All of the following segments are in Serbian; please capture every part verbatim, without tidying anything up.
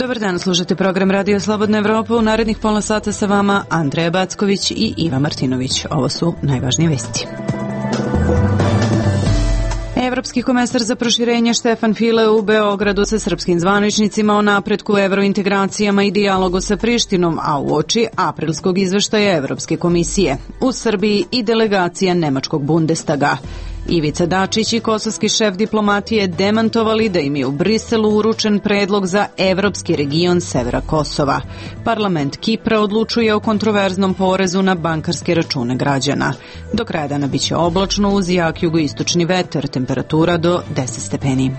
Dobar dan, slušate program Radio Slobodna Evropa. U narednih pola sata sa vama Andreja Backović i Iva Martinović. Ovo su najvažnije vesti. Evropski komesar za proširenje Štefan File u Beogradu sa srpskim zvaničnicima o napretku evrointegracijama i dijalogu sa Prištinom, a uoči aprilskog izveštaja Evropske komisije. U Srbiji i delegacija Nemačkog Bundestaga. Ivica Dačić i kosovski šef diplomatije demantovali da im je u Briselu uručen predlog za evropski region severa Kosova. Parlament Kipra odlučuje o kontroverznom porezu na bankarske račune građana. Do kraja dana biće oblačno uz jak jugoistočni vetar, temperatura do deset stepeni.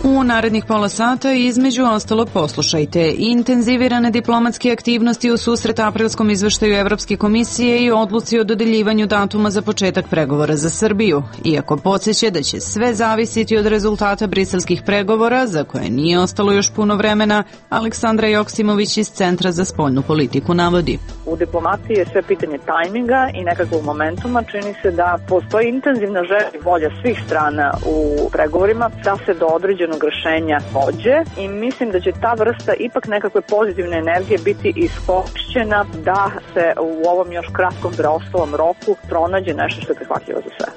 U narednih pola sata između ostalo poslušajte intenzivirane diplomatske aktivnosti u susret aprilskom izveštaju Evropske komisije i odluci o dodeljivanju datuma za početak pregovora za Srbiju. Iako podsjeća da će sve zavisiti od rezultata briselskih pregovora, za koje nije ostalo još puno vremena, Aleksandra Joksimović iz Centra za spoljnu politiku navodi. U diplomaciji je sve pitanje tajminga i nekakvog momentuma. Čini se da postoji intenzivna želja i volja svih strana u pregovorima da se do određenog rešenja dođe i mislim da će ta vrsta ipak nekakve pozitivne energije biti iskorišćena da se u ovom još kratkom preostalom roku pronađe nešto što je prihvatljivo za sve.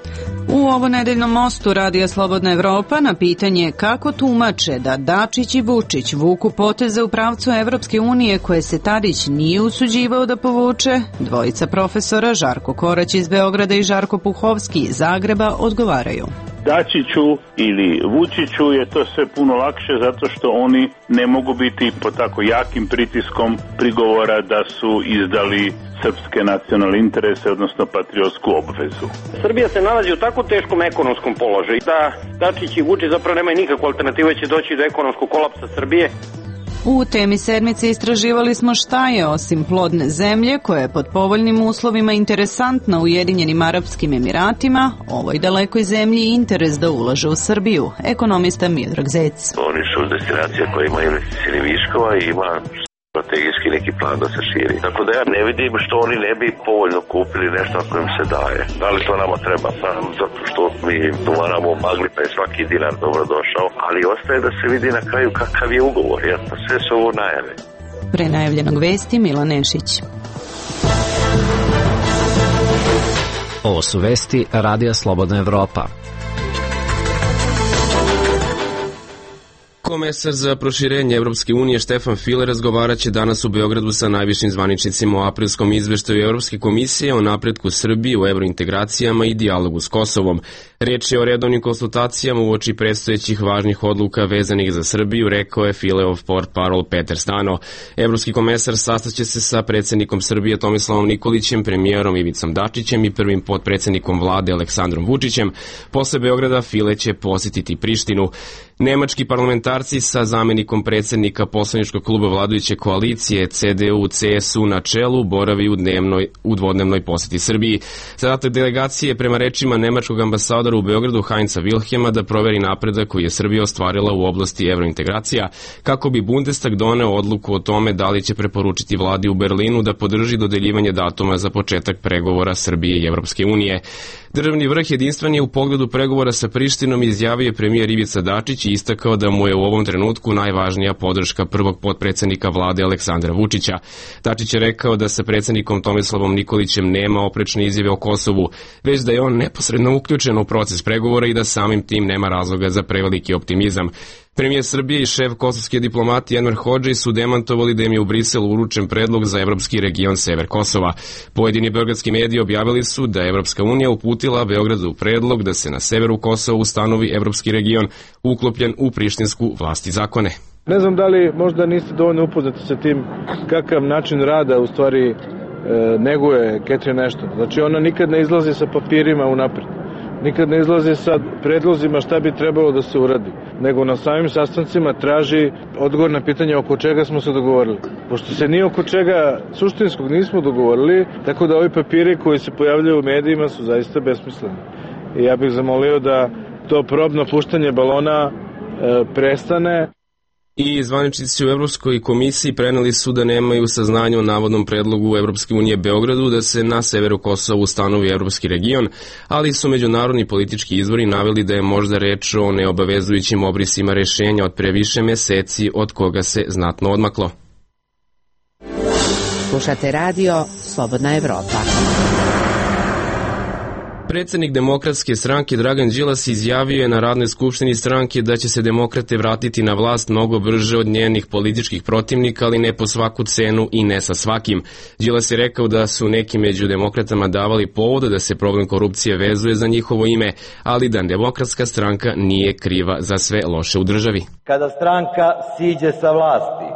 U ovo nedeljnom mostu Radija Slobodna Evropa na pitanje kako tumače da Dačić i Vučić vuku poteze u pravcu Evropske unije koje se Tadić nije usuđivao da povuče, dvojica profesora Žarko Korać iz Beograda i Žarko Puhovski iz Zagreba odgovaraju. Dačiću ili Vučiću je to sve puno lakše zato što oni ne mogu biti pod tako jakim pritiskom prigovora da su izdali srpske nacionalne interese, odnosno patriotsku obvezu. Srbija se nalazi u tako teškom ekonomskom položaju da Dačić i Vučić zapravo nemaju nikakvu alternativu, će doći do ekonomskog kolapsa Srbije. U temi sedmice istraživali smo šta je osim plodne zemlje koja je pod povoljnim uslovima interesantna Ujedinjenim Arapskim Emiratima, ovoj dalekoj zemlji interes da ulaže u Srbiju. Ekonomista Miodrag Zec. Oni su destinacija koja ima investicijnih viškova i ima strategijski neki plan da se širi. Tako da ja ne vidim što oni ne bi povoljno kupili nešto ako im se daje. Da li to nama treba? Pa zato što mi dovaramo magli pa je svaki dinar dobro došao, ali ostaje da se vidi na kraju kakav je ugovor, jer pa sve su ovo najave. Pre najavljenog vesti Milan Nešić. Ovo su vesti Radija Slobodna Evropa. Komesar za proširenje Evropske unije Štefan File razgovaraće danas u Beogradu sa najvišim zvaničnicima o aprilskom izveštaju Evropske komisije o napretku Srbije u evrointegracijama i dijalogu s Kosovom. Riječ je o redovnim konsultacijama uoči predstojećih važnih odluka vezanih za Srbiju, rekao je Fileov portparol Peter Stano. Evropski komesar sastaće se sa predsjednikom Srbije Tomislavom Nikolićem, premijerom Ivicom Dačićem i prvim potpredsjednikom vlade Aleksandrom Vučićem. Posle Beograda File će posjetiti Prištinu. Nemački parlamentarci sa zamenikom predsjednika poslaničkog kluba vladajuće koalicije C D U C S U na čelu boravi u, dnevnoj, u dvodnevnoj posjeti Srbiji. Zadatak delegacije prema rečima nemačkog ambasadora u Beogradu Heinza Wilhelma da proveri napredak koji je Srbija ostvarila u oblasti evrointegracija kako bi Bundestag doneo odluku o tome da li će preporučiti vladi u Berlinu da podrži dodeljivanje datuma za početak pregovora Srbije i Evropske unije. Državni vrh jedinstven je u pogledu pregovora sa Prištinom, izjavio premijer Ivica Dačić i istakao da mu je u ovom trenutku najvažnija podrška prvog potpredsjednika vlade Aleksandra Vučića. Dačić je rekao da sa predsjednikom Tomislavom Nikolićem nema oprečne izjave o Kosovu, već da je on neposredno uključen u proces pregovora i da samim tim nema razloga za preveliki optimizam. Premijer Srbije i šef kosovske diplomatije Enver Hodžić su demantovali da im je u Briselu uručen predlog za evropski region sever Kosova. Pojedini beogradski mediji objavili su da je Evropska unija uputila Beogradu predlog da se na severu Kosova ustanovi evropski region uklopljen u prištinsku vlast i zakone. Ne znam da li možda niste dovoljno upoznati sa tim kakav način rada u stvari e, neguje Catherine Ashton. Znači ona nikad ne izlazi sa papirima unapred. Nikad ne izlazi sa predlozima šta bi trebalo da se uradi, nego na samim sastancima traži odgovor na pitanje oko čega smo se dogovorili. Pošto se ni oko čega suštinskog nismo dogovorili, tako da ovi papiri koji se pojavljaju u medijima su zaista besmisleni. I ja bih zamolio da to probno puštanje balona e, prestane. I zvaničnici u Evropskoj komisiji preneli su da nemaju saznanja o navodnom predlogu Evropske unije Beogradu da se na severu Kosova ustanovi evropski region, ali su međunarodni politički izvori naveli da je možda reč o neobavezujućim obrisima rešenja od pre više meseci od koga se znatno odmaklo. Slušate radio Slobodna Evropa. Predsednik Demokratske stranke Dragan Đilas izjavio je na radnoj skupštini stranke da će se demokrate vratiti na vlast mnogo brže od njenih političkih protivnika, ali ne po svaku cenu i ne sa svakim. Đilas je rekao da su neki među demokratama davali povoda da se problem korupcije vezuje za njihovo ime, ali da Demokratska stranka nije kriva za sve loše u državi. Kada stranka siđe sa vlasti,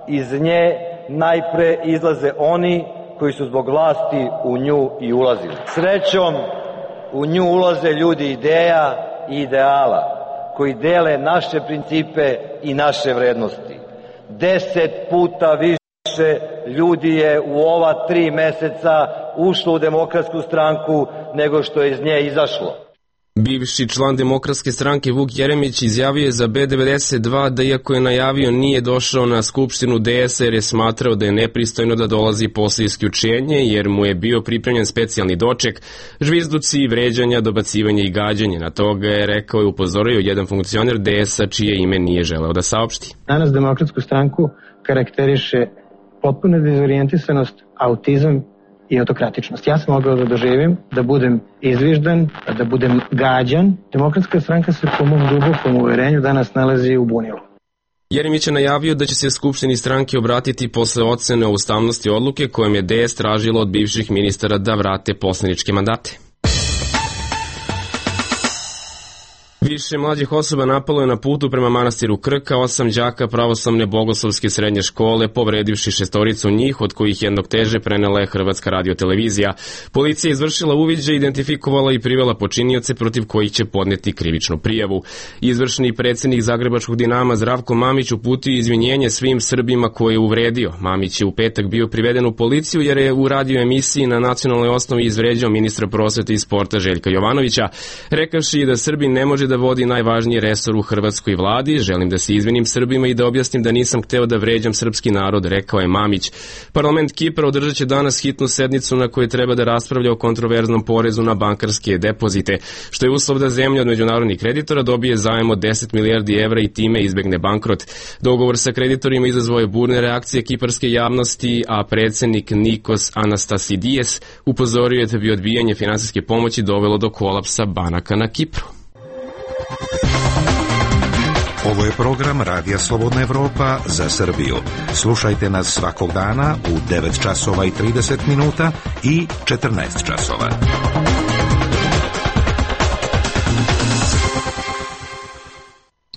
iz nje najpre izlaze oni koji su zbog vlasti u nju i ulazili. Srećom, u nju ulaze ljudi ideja i ideala, koji dele naše principe i naše vrednosti. Deset puta više ljudi je u ova tri meseca ušlo u Demokratsku stranku nego što je iz nje izašlo. Bivši član Demokratske stranke Vuk Jeremić izjavio je za B devedeset dva da iako je najavio nije došao na skupštinu D S jer je smatrao da je nepristojno da dolazi posle isključenje jer mu je bio pripremljen specijalni doček, žvizduci, vređanja, dobacivanje i gađanje. Na toga je rekao i upozorio jedan funkcioner D S-a čije ime nije želeo da saopšti. Danas Demokratsku stranku karakteriše potpuna dezorijentisanost, autizam i autokratičnost. Ja sam mogao da doživim, da budem izviždan, da budem gađan. Demokratska stranka se po mom dubokom uverenju danas nalazi u bunilu. Jeremić je najavio da će se Skupštini stranke obratiti posle ocene o ustavnosti odluke kojom je D S tražilo od bivših ministara da vrate poslaničke mandate. Više mlađih osoba napalo je na putu prema manastiru Krka osam đaka pravoslavne bogoslovske srednje škole, povredivši šestoricu njih, od kojih jednog teže prenela je Hrvatska radiotelevizija. Policija je izvršila uviđaj, identifikovala i privela počinioce protiv kojih će podneti krivičnu prijavu. Izvršni predsjednik Zagrebačkog Dinama Zdravko Mamić uputio izvinjenje svim Srbima koje je uvredio. Mamić je u petak bio priveden u policiju jer je u radio emisiji na nacionalnoj osnovi izvređao ministra prosvete i sporta Željka Jovanovića, rekavši da Srbin ne može da vodi najvažniji resor u hrvatskoj vladi. Želim da se izvinim Srbima i da objasnim da nisam hteo da vređam srpski narod, rekao je Mamić. Parlament Kipra održat će danas hitnu sednicu na kojoj treba da raspravlja o kontroverznom porezu na bankarske depozite, što je uslov da zemlja od međunarodnih kreditora dobije zajam od deset milijardi evra i time izbegne bankrot. Dogovor sa kreditorima izazvao je burne reakcije kiparske javnosti, a predsednik Nikos Anastasidijes upozorio je da bi odbijanje finansijske pomoći dovelo do kolapsa banaka na Kipru. Ovo je program Radija Slobodna Evropa za Srbiju. Slušajte nas svakog dana u devet časova i trideset minuta i četrnaest časova.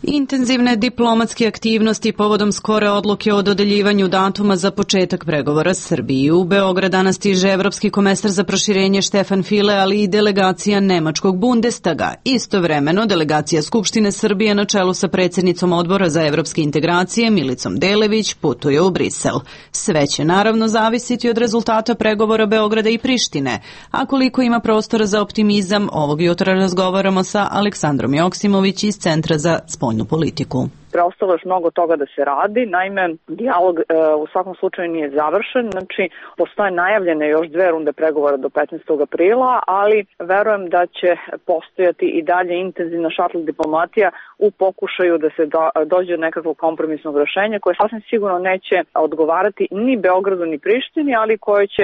Intenzivne diplomatske aktivnosti povodom skore odluke o dodeljivanju datuma za početak pregovora Srbiji. U Beograd danas stiže evropski komesar za proširenje Štefan File, ali i delegacija nemačkog Bundestaga. Istovremeno, delegacija Skupštine Srbije na čelu sa predsjednicom Odbora za evropske integracije Milicom Delević putuje u Brisel. Sve će naravno zavisiti od rezultata pregovora Beograda i Prištine, a koliko ima prostora za optimizam, ovog jutra razgovaramo sa Aleksandrom Joksimović iz Centra za spoljnu politiku. Preostalo još mnogo toga da se radi, naime, dijalog e, u svakom slučaju nije završen, znači postoje najavljene još dve runde pregovora do petnaestog aprila, ali verujem da će postojati i dalje intenzivna šatl diplomatija u pokušaju da se do, dođe do nekakvog kompromisnog rešenja koje sasvim sigurno neće odgovarati ni Beogradu ni Prištini, ali koje će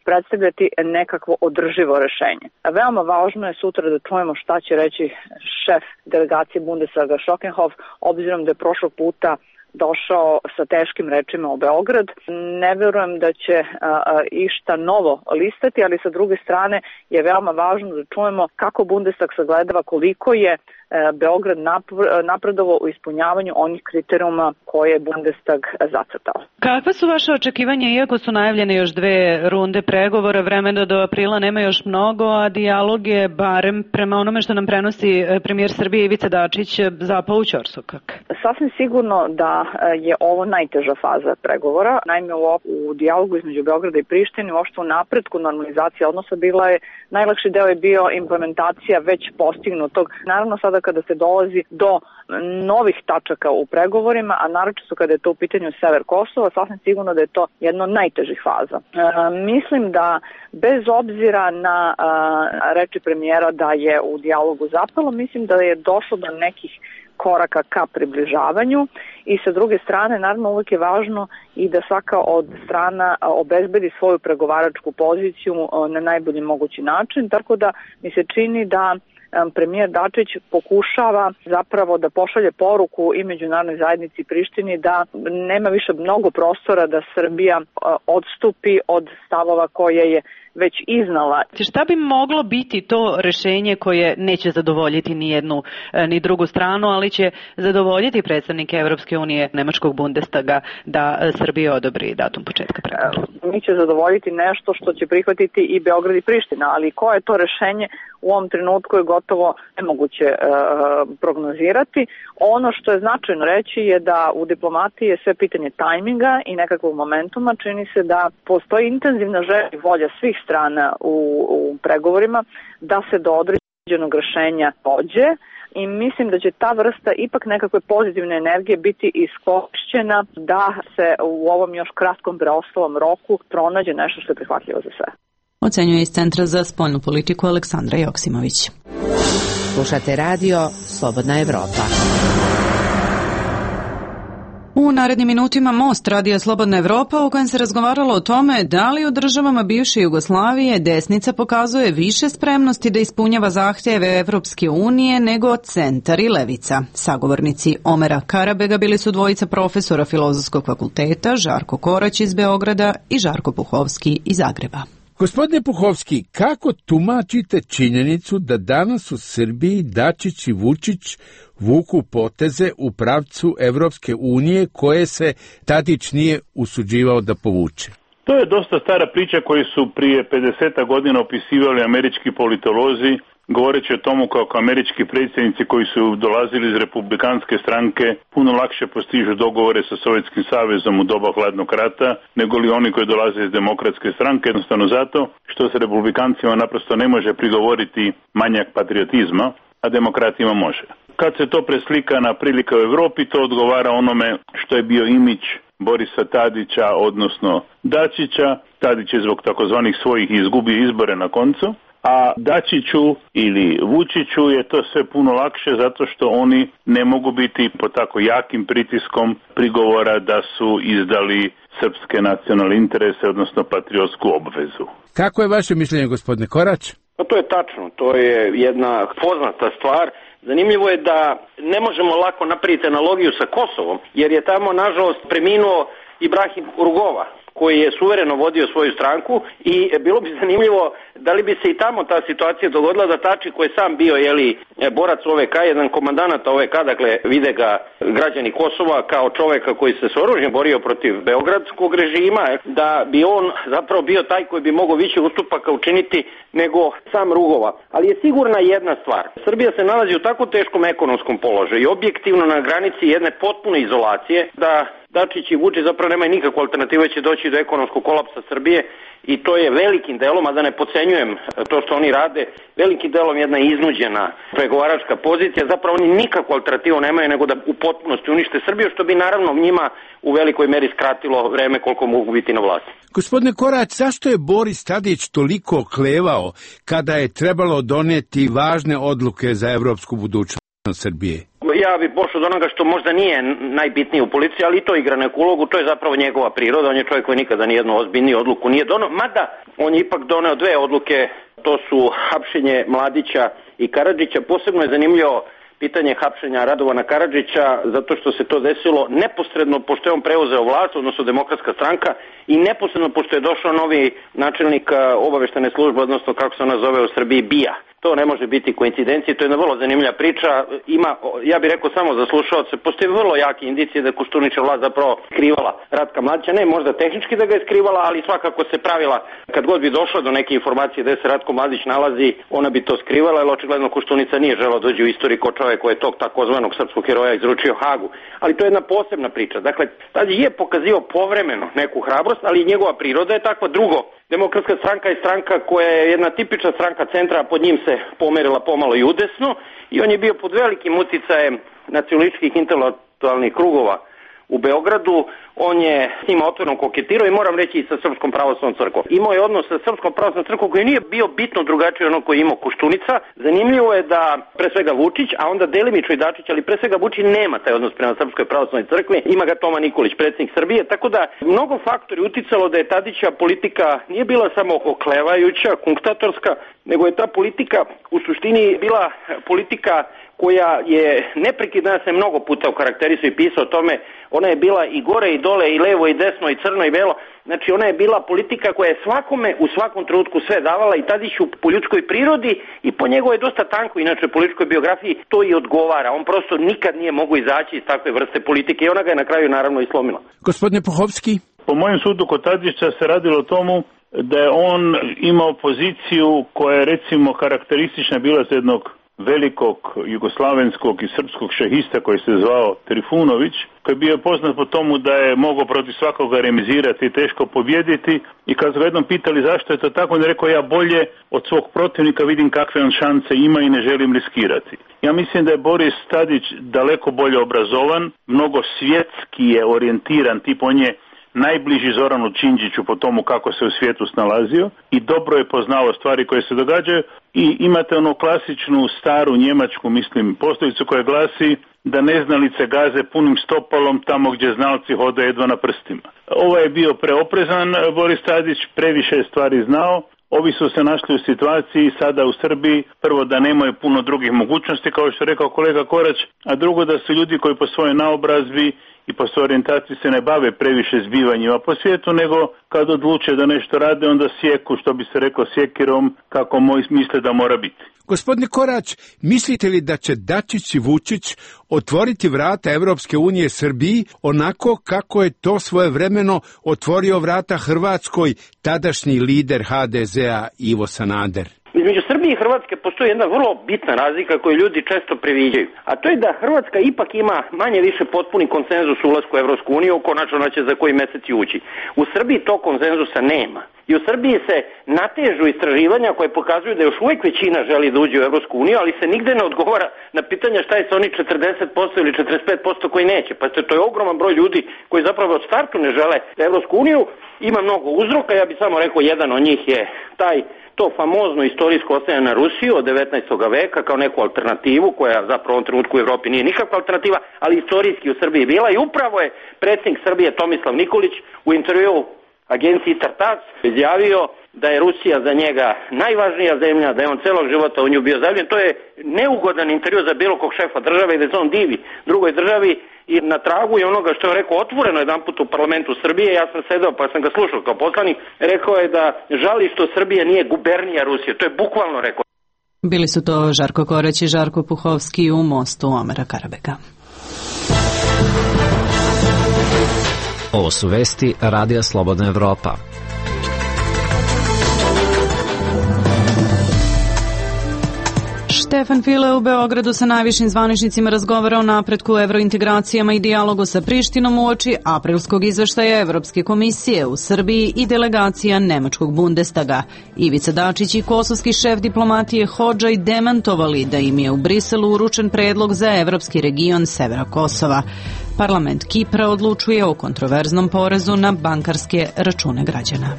predstavljati nekakvo održivo rešenje. Veoma važno je sutra da čujemo šta će reći šef delegacije Bundestaga Schockenhof, obzirom da je prošlog puta došao sa teškim rečima u Beograd. Ne verujem da će a, a, išta novo listati, ali sa druge strane je veoma važno da čujemo kako Bundestag sagledava koliko je Beograd napredovao u ispunjavanju onih kriterijuma koje je Bundestag zacrtao. Kakva su vaše očekivanja, iako su najavljene još dve runde pregovora, vremena do aprila nema još mnogo, a dijalog je, barem prema onome što nam prenosi premijer Srbije Ivica Dačić, zapao u ćorsokak? Sasvim sigurno da je ovo najteža faza pregovora. Naime, u, u dijalogu između Beograda i Prištine, uopšte u napretku normalizacije odnosa bila je, najlakši deo je bio implementacija već postignutog. Naravno, sada sada kada se dolazi do novih tačaka u pregovorima, a naročito kada je to u pitanju sever Kosova, sasvim sigurno da je to jedna od najtežih faza. E, mislim da bez obzira na a, reči premijera da je u dijalogu zapelo, mislim da je došlo do nekih koraka ka približavanju i sa druge strane naravno uvijek je važno i da svaka od strana obezbedi svoju pregovaračku poziciju na najbolji mogući način, tako da mi se čini da premijer Dačić pokušava zapravo da pošalje poruku i međunarodnoj zajednici Prištini da nema više mnogo prostora da Srbija odstupi od stavova koje je već iznala. Šta bi moglo biti to rešenje koje neće zadovoljiti ni jednu ni drugu stranu, ali će zadovoljiti predstavnike Evropske unije, Nemačkog Bundestaga, da Srbija odobri datum početka pregovora? Mi će zadovoljiti nešto što će prihvatiti i Beograd i Priština, ali koje je to rešenje u ovom trenutku je gotovo nemoguće e, prognozirati. Ono što je značajno reći je da u diplomatiji je sve pitanje tajminga i nekakvog momentuma. Čini se da postoji intenzivna želja i volja svih strana u, u pregovorima da se do određenog rešenja dođe i mislim da će ta vrsta ipak nekakve pozitivne energije biti iskorišćena da se u ovom još kratkom preostalom roku pronađe nešto što je prihvatljivo za sve. Ocenjuje iz Centra za spoljnu politiku Aleksandra Joksimović. Slušate radio Slobodna Evropa. U narednim minutima Most radija Slobodna Evropa u kojem se razgovaralo o tome da li u državama bivše Jugoslavije desnica pokazuje više spremnosti da ispunjava zahtjeve Evropske unije nego centar i levica. Sagovornici Omera Karabega bili su dvojica profesora Filozofskog fakulteta, Žarko Korać iz Beograda i Žarko Puhovski iz Zagreba. Gospodine Puhovski, kako tumačite činjenicu da danas u Srbiji Dačić i Vučić vuku poteze u pravcu Evropske unije koje se Tadić nije usuđivao da povuče? To je dosta stara priča koju su prije pedeset godina opisivali američki politolozi, govoreći o tomu kako američki predsjednici koji su dolazili iz republikanske stranke puno lakše postižu dogovore sa Sovjetskim savezom u doba hladnog rata nego li oni koji dolaze iz demokratske stranke, jednostavno zato što se republikancima naprosto ne može prigovoriti manjak patriotizma, a demokratima može. Kad se to preslika na prilike u Europi, to odgovara onome što je bio imidž Borisa Tadića, odnosno Dačića. Tadić je zbog takozvanih svojih izgubio izbore na koncu, a Dačiću ili Vučiću je to sve puno lakše zato što oni ne mogu biti pod tako jakim pritiskom prigovora da su izdali srpske nacionalne interese, odnosno patriotsku obvezu. Kako je vaše mišljenje, gospodine Korać? Pa to je tačno, to je jedna poznata stvar. Zanimljivo je da ne možemo lako napraviti analogiju sa Kosovom, jer je tamo, nažalost, preminuo Ibrahim Rugova, koji je suvereno vodio svoju stranku i bilo bi zanimljivo da li bi se i tamo ta situacija dogodila da Tači koji je sam bio jeli, borac O V K, jedan komandanat O V K, dakle vide ga građani Kosova kao čoveka koji se s oružjem borio protiv beogradskog režima, da bi on zapravo bio taj koji bi mogao više ustupaka učiniti nego sam Rugova. Ali je sigurna jedna stvar. Srbija se nalazi u tako teškom ekonomskom položaju i objektivno na granici jedne potpune izolacije da Dačić i Vučić zapravo nemaju nikakvu alternativu, će doći do ekonomskog kolapsa Srbije i to je velikim delom, a da ne podcenjujem to što oni rade, velikim delom jedna iznuđena pregovaračka pozicija, zapravo oni nikakvu alternativu nemaju nego da u potpunosti unište Srbiju, što bi naravno njima u velikoj meri skratilo vreme koliko mogu biti na vlasti. Gospodine Korać, zašto je Boris Tadić toliko klevao kada je trebalo doneti važne odluke za evropsku budućnost Srbije? Ja bih pošao od onoga što možda nije najbitnije u policiji, ali i to igra neku ulogu, to je zapravo njegova priroda, on je čovjek koji nikada nijednu ozbiljniju odluku nije doneo, mada on je ipak doneo dve odluke, to su hapšenje Mladića i Karadžića. Posebno je zanimljivo pitanje hapšenja Radovana Karadžića, zato što se to desilo neposredno pošto je on preuzeo vlast, odnosno Demokratska stranka, i neposredno pošto je došao novi načelnik obaveštene službe, odnosno kako se ona zove u Srbiji, B I A. To ne može biti koincidencija, to je jedna vrlo zanimljiva priča. Ima, ja bih rekao samo za slušalce, postoje vrlo jake indicije da je Koštuničeva vlast zapravo skrivala Ratka Mladića, ne možda tehnički da ga je skrivala, ali svakako se pravila, kad god bi došla do neke informacije da se Ratko Mladić nalazi, ona bi to skrivala, jer očigledno Koštunica nije želeo dođe u istoriju kao čovjek koji je tog takozvanog srpskog heroja izručio Hagu. Ali to je jedna posebna priča. Dakle, Tadić je pokazio povremeno neku hrabrost, ali njegova priroda je takva. Drugo, Demokratska stranka je stranka koja je jedna tipična stranka centra, a pod njim se pomerila pomalo i udesno i on je bio pod velikim uticajem nacionalističkih intelektualnih krugova u Beogradu. On je s njima otvoreno koketirao i moram reći i sa Srpskom pravoslavnom crkvom. Imao je odnos sa Srpskom pravoslavnom crkvom koji nije bio bitno drugačiji ono koji je imao Koštunica. Zanimljivo je da pre svega Vučić, a onda delimično i Dačić, ali pre svega Vučić nema taj odnos prema Srpskoj pravoslavnoj crkvi. Ima ga Toma Nikolić, predsjednik Srbije, tako da mnogo faktori uticalo da je Tadićeva politika nije bila samo oklevajuća, kunktatorska, nego je ta politika u suštini bila politika koja je neprekidna, se mnogo puta okarakterisao i pisao o tome. Ona je bila i gore i dole, i levo i desno, i crno i belo. Znači ona je bila politika koja je svakome u svakom trenutku sve davala i Tadiću po ljudskoj prirodi i po njegovoj dosta tanko, inače političkoj biografiji, to i odgovara. On prosto nikad nije mogao izaći iz takve vrste politike i ona ga je na kraju naravno i slomila. Gospodine Puhovski? Po mojem sudu kod Tadića se radilo o tomu da je on imao poziciju koja je recimo karakteristična bila za jednog velikog jugoslavenskog i srpskog šahista koji se zvao Trifunović, koji je bio poznat po tomu da je mogao protiv svakoga remizirati i teško pobjediti, i kad su ga jednom pitali zašto je to tako, on je rekao: ja bolje od svog protivnika vidim kakve on šanse ima i ne želim riskirati. Ja mislim da je Boris Tadić daleko bolje obrazovan, mnogo svjetski je orijentiran, tip on je najbliži Zoranu Đinđiću po tomu kako se u svijetu snalazio i dobro je poznao stvari koje se događaju, i imate onu klasičnu staru njemačku, mislim, poslovicu koja glasi da neznalice gaze punim stopalom tamo gdje znalci hode jedva na prstima. Ovo je bio preoprezan Boris Tadić, previše je stvari znao. Ovi su se našli u situaciji sada u Srbiji, prvo da nemaju puno drugih mogućnosti, kao što je rekao kolega Korać, a drugo da su ljudi koji po svojoj naobrazbi i po svojoj orijentaciji se ne bave previše zbivanjima po svijetu, nego kad odluče da nešto rade, onda sjeku, što bi se rekao, sjekirom, kako moj misle da mora biti. Gospodine Korać, mislite li da će Dačić i Vučić otvoriti vrata Evropske unije Srbiji onako kako je to svojevremeno otvorio vrata Hrvatskoj tadašnji lider ha de zea Ivo Sanader? Između Srbije i Hrvatske postoji jedna vrlo bitna razlika koju ljudi često previđaju, a to je da Hrvatska ipak ima manje više potpuni konsenzus u ulasku u Evropsku uniju, konačno će za koji mesec ući. U Srbiji to konsenzusa nema. I u Srbiji se natežu istraživanja koje pokazuju da još uvijek većina želi da uđe u Evropsku uniju, ali se nigde ne odgovara na pitanje šta je sa oni četrdeset posto ili četrdeset pet posto koji neće. Pa to je ogroman broj ljudi koji zapravo od startu ne žele Evropsku uniju. Ima mnogo uzroka, ja bih samo rekao jedan od njih je taj to famozno istorijsko ostajanje na Rusiju od devetnaestog veka kao neku alternativu koja zapravo u ovom trenutku u Evropi nije nikakva alternativa, ali istorijski u Srbiji bila, i upravo je predsjednik Srbije Tomislav Nikolić u intervjuu agenciji Tartac izjavio da je Rusija za njega najvažnija zemlja, da je on celog života u nju bio zaljubljen. To je neugodan intervju za bilo kog šefa države i da se on divi drugoj državi, i na tragu je onoga što je rekao otvoreno jedan put u parlamentu Srbije. Ja sam sedao pa sam ga slušao kao poslanik, rekao je da žali što Srbija nije gubernija Rusije. To je bukvalno rekao. Bili su to Žarko Korać i Žarko Puhovski u mostu Omera Karabeka. Ovo su vesti Radija Slobodna Evropa. Stefan File u Beogradu sa najvišim zvaničnicima razgovara o napretku u evrointegracijama i dijalogu sa Prištinom uoči aprilskog izveštaja Evropske komisije u Srbiji i delegacija Nemačkog Bundestaga. Ivica Dačić i kosovski šef diplomatije Hodžaj demantovali da im je u Briselu uručen predlog za evropski region severa Kosova. Parlament Kipra odlučuje o kontroverznom porezu na bankarske račune građana.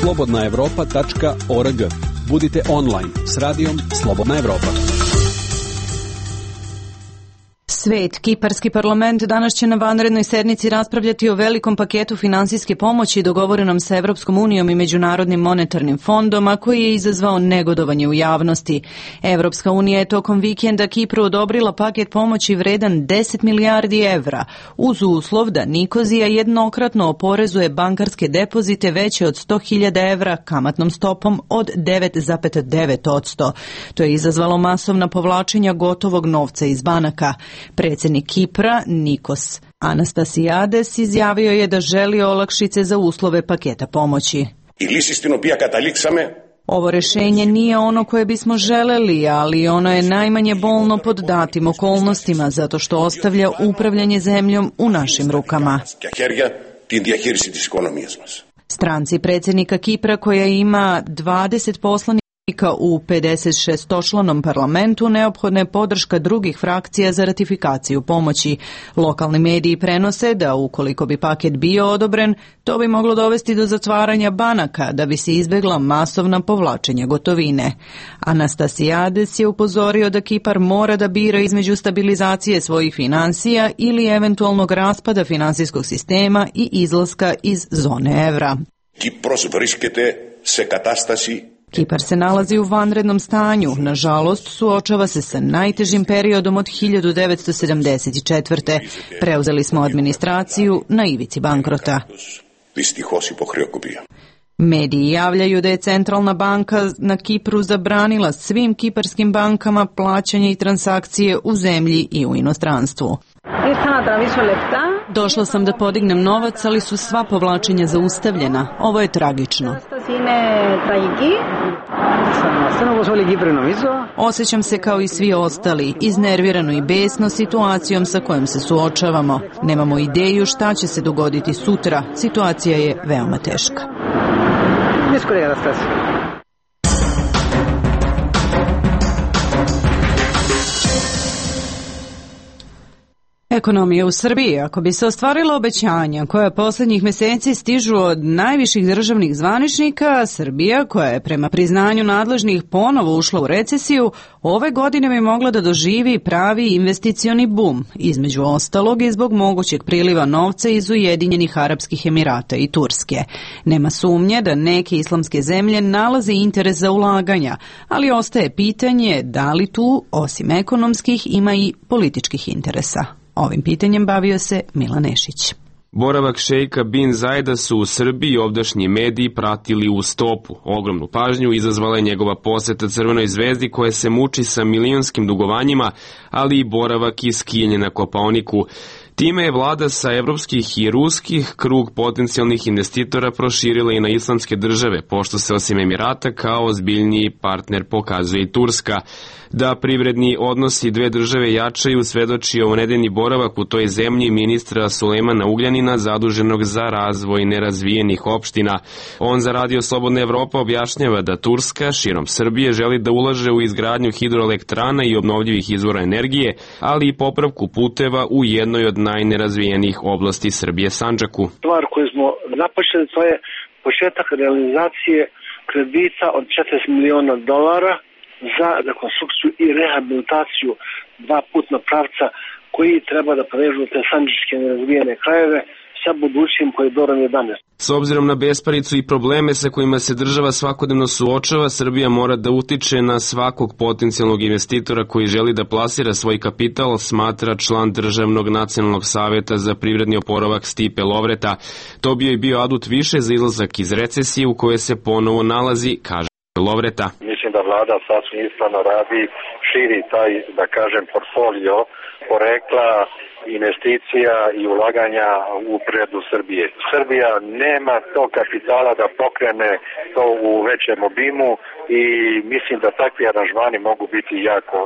slobodna evropa tačka org. Budite online s radijom Slobodna Evropa. Svet, kiparski parlament danas će na vanrednoj sednici raspravljati o velikom paketu finansijske pomoći dogovorenom sa Evropskom unijom i Međunarodnim monetarnim fondom, a koji je izazvao negodovanje u javnosti. Evropska unija je tokom vikenda Kipru odobrila paket pomoći vredan deset milijardi evra, uz uslov da Nikozija jednokratno oporezuje bankarske depozite veće od sto hiljada evra kamatnom stopom od devet zarez devet posto. To je izazvalo masovna povlačenja gotovog novca iz banaka. Predsjednik Kipra, Nikos Anastasijades, izjavio je da želi olakšice za uslove paketa pomoći. Ovo rešenje nije ono koje bismo želeli, ali ono je najmanje bolno pod datim okolnostima, zato što ostavlja upravljanje zemljom u našim rukama. Stranci predsjednika Kipra, koja ima dvadeset poslanika u pedeset šestočlanom parlamentu, neophodna je podrška drugih frakcija za ratifikaciju pomoći. Lokalni mediji prenose da ukoliko bi paket bio odobren, to bi moglo dovesti do zatvaranja banaka da bi se izbjegla masovna povlačenja gotovine. Anastasiades je upozorio da Kipar mora da bira između stabilizacije svojih financija ili eventualnog raspada finansijskog sistema i izlaska iz zone evra. Kipros vriskete se katastasi. Kipar se nalazi u vanrednom stanju. Nažalost, suočava se sa najtežim periodom od hiljadu devetsto sedamdeset četvrte. Preuzeli smo administraciju na ivici bankrota. Mediji javljaju da je centralna banka na Kipru zabranila svim kiparskim bankama plaćanje i transakcije u zemlji i u inostranstvu. Došla sam da podignem novac, ali su sva povlačenja zaustavljena. Ovo je tragično. Osjećam se kao i svi ostali, iznervirano i besno situacijom sa kojom se suočavamo. Nemamo ideju šta će se dogoditi sutra. Situacija je veoma teška. Ekonomija u Srbiji. Ako bi se ostvarila obećanja koja posljednjih mjeseci stižu od najviših državnih zvaničnika, Srbija, koja je prema priznanju nadležnih ponovo ušla u recesiju, ove godine bi mogla da doživi pravi investicioni bum, između ostalog i zbog mogućeg priliva novca iz Ujedinjenih Arapskih Emirata i Turske. Nema sumnje da neke islamske zemlje nalaze interes za ulaganja, ali ostaje pitanje da li tu, osim ekonomskih, ima i političkih interesa. Ovim pitanjem bavio se Milan Nešić. Boravak šejka bin Zajda su u Srbiji ovdašnji mediji pratili u stopu. Ogromnu pažnju izazvala je njegova poseta Crvenoj zvezdi koja se muči sa milionskim dugovanjima, ali i boravak i skijanje na Kopaoniku. Time je vlada sa evropskih i ruskih krug potencijalnih investitora proširila i na islamske države, pošto se osim Emirata kao ozbiljniji partner pokazuje i Turska. Da privredni odnosi dve države jačaju svedoči ovonedeljni boravak u toj zemlji ministra Sulejmana Ugljanina, zaduženog za razvoj nerazvijenih opština. On za Radio Slobodna Evropa objašnjava da Turska širom Srbije želi da ulaže u izgradnju hidroelektrana i obnovljivih izvora energije, ali i popravku puteva u jednoj od najnerazvijenijih oblasti Srbije, Sandžaku. Stvar koju smo započeli, to je početak realizacije kredita od četrdeset miliona dolara za rekonstrukciju i rehabilitaciju dva putna pravca koji treba da prevežu te sandžačke nerazvijene krajeve sa budućim koridorom jedanaest. S obzirom na besparicu i probleme sa kojima se država svakodnevno suočava, Srbija mora da utiče na svakog potencijalnog investitora koji želi da plasira svoj kapital, smatra član Državnog nacionalnog saveta za privredni oporavak Stipe Lovreta. To bi joj bio adut više za izlazak iz recesije u kojoj se ponovo nalazi, kaže Lovreta. Mislim da vlada sasvim ispravno radi, širi taj, da kažem, portfolio porekla, investicija i ulaganja u privredu Srbije. Srbija nema tog kapitala da pokrene to u većem obimu i mislim da takvi aranžmani mogu biti jako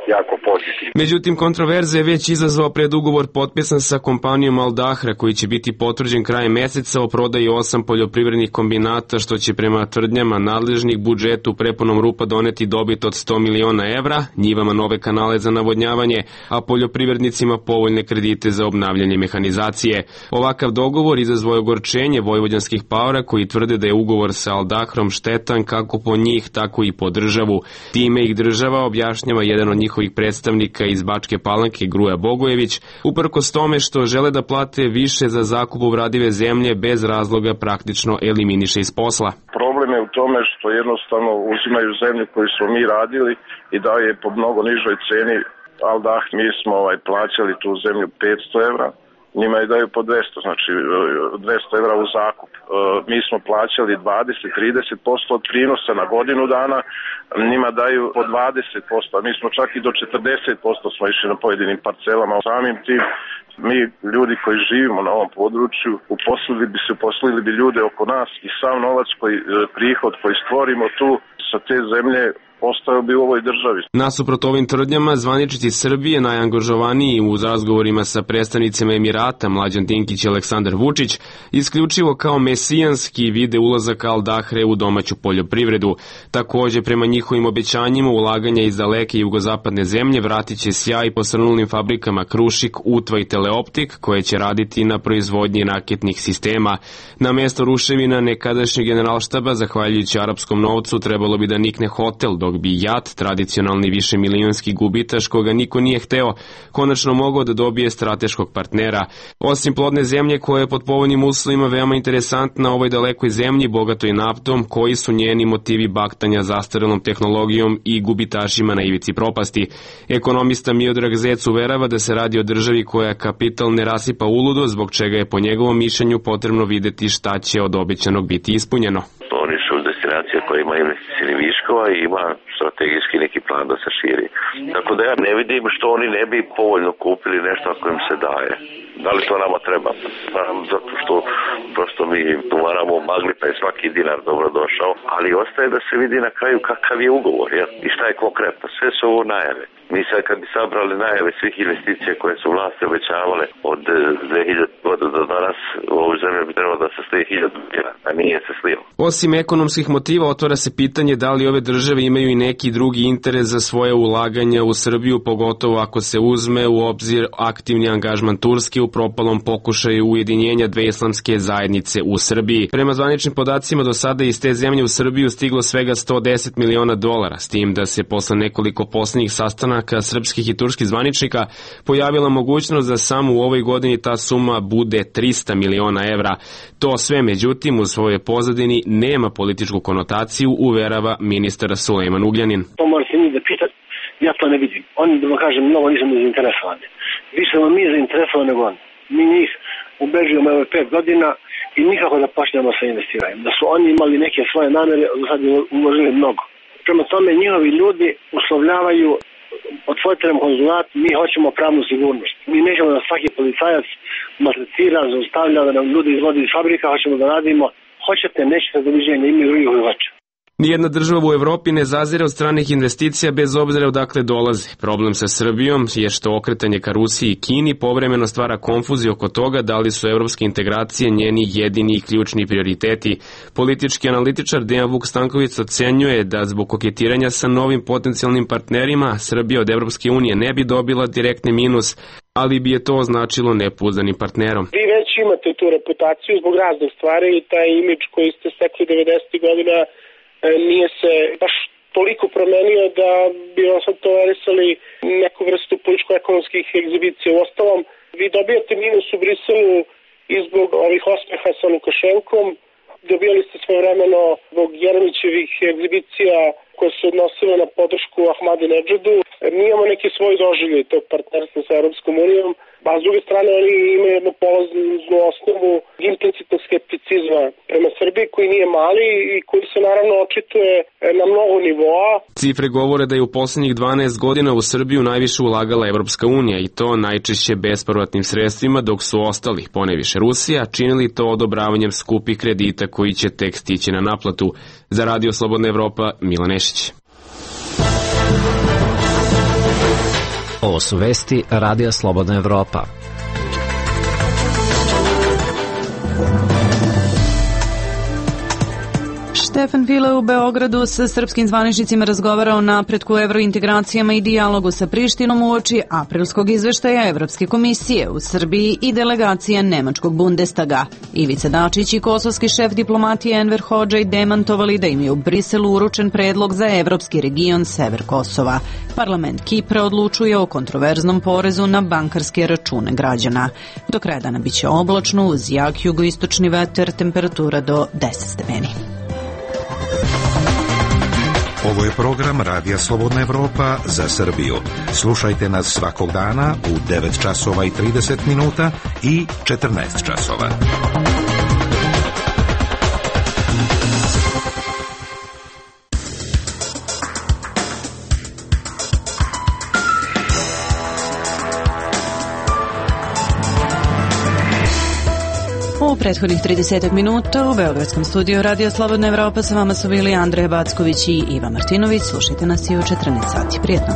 jako pozitivno. Međutim, kontroverze je već izazvao predugovor potpisan sa kompanijom Al Dahra, koji će biti potvrđen krajem meseca o prodaji osam poljoprivrednih kombinata, što će prema tvrdnjama nadležnih budžetu prepunom rupa doneti dobit od sto miliona evra, njivama nove kanale za navodnjavanje, a poljoprivrednicima povoljne kredite za obnavljanje mehanizacije. Ovakav dogovor izazvao je ogorčenje vojvođanskih paora koji tvrde da je ugovor sa Al Dahrom štetan kako po njih, tako i po državu. Time ih država, objašnjava jedan od njihovih predstavnika iz Bačke Palanke, Gruja Bogojević, uprkos tome što žele da plate više za zakup obradive zemlje, bez razloga praktično eliminiše iz posla. Problem je u tome što jednostavno uzimaju zemlju koju smo mi radili i daju je po mnogo nižoj ceni. Al Dah, mi smo ovaj, plaćali tu zemlju petsto evra, njima je daju po dvesta, znači dvesta evra u zakup. Mi smo plaćali dvadeset do trideset posto od prinosa na godinu dana, njima daju po dvadeset posto, a mi smo čak i do četrdeset posto smo išli na pojedinim parcelama. Samim tim, mi ljudi koji živimo na ovom području, uposlili bi se, uposlili bi ljude oko nas i sav novac, koji, prihod koji stvorimo tu sa te zemlje ostao bi u ovoj državi. Nasuprot ovim tvrdnjama, zvaničnici Srbije najangažovaniji u razgovorima sa predstavnicima Emirata Mlađan Dinkić i Aleksandar Vučić isključivo kao mesijanski vide ulazak Al Dahre u domaću poljoprivredu. Takođe, prema njihovim obećanjima ulaganja iz daleke jugozapadne zemlje vratit će sjaj posrnulim fabrikama Krušik, Utva i Teleoptik koje će raditi na proizvodnji raketnih sistema. Na mesto ruševina nekadašnjeg generalštaba, zahvaljujući arapskom novcu, trebalo bi da nikne hotel, dok bi JAT, tradicionalni višemilionski gubitaš koga niko nije hteo, konačno mogao da dobije strateškog partnera. Osim plodne zemlje koja je pod povoljnim uslovima veoma interesantna ovoj dalekoj zemlji, bogatoj naftom, koji su njeni motivi baktanja zastarelom tehnologijom i gubitašima na ivici propasti. Ekonomista Miodrag Zec uverava da se radi o državi koja kapital ne rasipa uludo, zbog čega je po njegovom mišljenju potrebno videti šta će od obećanog biti ispunjeno. Oni su destinacija koja ima investicijnih viškova i ima strategijski neki plan da se širi. Tako da ja ne vidim što oni ne bi povoljno kupili nešto ako im se daje. Da li to nama treba? Zato što prosto mi uvaramo u magli pa je svaki dinar dobro došao, ali ostaje da se vidi na kraju kakav je ugovor, jel? I šta je konkretno. Sve su ovo najave. Mi sad kad bi sabrali najave svih investicija koje su vlasti obećavale od dve hiljade godina do danas, u ovoj zemlji bi trebalo da se slije hiljadu godina, a nije se slio. Osim ekonomskih motiva, otvara se pitanje da li ove države imaju i neki drugi interes za svoje ulaganja u Srbiju, pogotovo ako se uzme u obzir aktivni angažman Turske u propalom pokušaju ujedinjenja dve islamske zajednice u Srbiji. Prema zvaničnim podacima, do sada iz te zemlje u Srbiju stiglo svega sto deset miliona dolara, s tim da se posle nekoliko poslednjih sastanaka srpskih i turskih zvaničnika pojavila mogućnost da samo u ovoj godini ta suma bude trista miliona evra. To sve, međutim, u svojoj pozadini nema političku konotaciju, uverava ministar Sulejman Ugljanin. To morate njih da pitati, ja to ne vidim. Oni, da vam kažem, mnogo nisam zainteresovani. Više smo mi zainteresovani nego oni. Mi njih ubeđujemo ove pet godina i nikako da počnemo sa investiranjem. Da su oni imali neke svoje namere, sad uložili mnogo. Prema tome, njihovi ljudi uslovljavaju, otvorite nam konzulat, mi hoćemo pravnu sigurnost. Mi nećemo da svaki policajac maltretira, zaustavlja, da nam ljudi izvodi iz fabrika, hoćemo da radimo. Hoćete, nećete, doviđenja, imaju drugih uživača. Nijedna država u Evropi ne zazire od stranih investicija bez obzira odakle dolaze. Problem sa Srbijom je što okretanje ka Rusiji i Kini povremeno stvara konfuziju oko toga da li su evropske integracije njeni jedini i ključni prioriteti. Politički analitičar Dejan Vuk Stanković ocenjuje da zbog koketiranja sa novim potencijalnim partnerima Srbija od Evropske unije ne bi dobila direktni minus, ali bi je to označilo nepouzdanim partnerom. Vi već imate tu reputaciju zbog raznih stvari i taj imidž koji ste stekli devedesetih godina nije se baš toliko promenio da bi vam sad tolerisali neku vrstu političko-ekonomskih egzibicija. U ostalom, vi dobijate minus u Briselu i zbog ovih osmeha sa Lukašenkom, dobijali ste svojevremeno zbog Jeremićevih egzibicija koje se odnosile na podršku Ahmadinedžadu. Mi imamo neki svoj doživljaj tog partnerstva sa Europskom unijom, a s druge strane oni imaju jednu polaznu osnovu implicitnog skepticizma prema Srbiji koji nije mali i koji se naravno očituje na mnogo nivoa. Cifre govore da je u poslednjih dvanaest godina u Srbiju najviše ulagala Evropska unija i to najčešće bespovratnim sredstvima, dok su ostali, poneviše Rusija, činili to odobravanjem skupih kredita koji će tek stići na naplatu. Za Radio Slobodna Evropa, Milan Nešić. Ovo su vesti Radija Slobodna Evropa. Stefan File u Beogradu sa srpskim zvaničnicima razgovara o napretku evrointegracijama i dijalogu sa Prištinom uoči aprilskog izveštaja Evropske komisije u Srbiji i delegacija Nemačkog Bundestaga. Ivica Dačić i kosovski šef diplomatije Enver Hodžaj demantovali da im je u Briselu uručen predlog za evropski region Sever Kosova. Parlament Kipra odlučuje o kontroverznom porezu na bankarske račune građana. Do kraja dana biće oblačno uz jak jugoistočni vetar, temperatura do deset stepeni. Ovo je program Radija Slobodna Evropa za Srbiju. Slušajte nas svakog dana u devet časova i trideset minuta i četrnaest časova. U prethodnih trideset minuta u Beogradskom studiju Radio Slobodna Evropa sa vama su bili Andreja Backović i Iva Martinović. Slušajte nas i u četrnaest sati. Prijetno.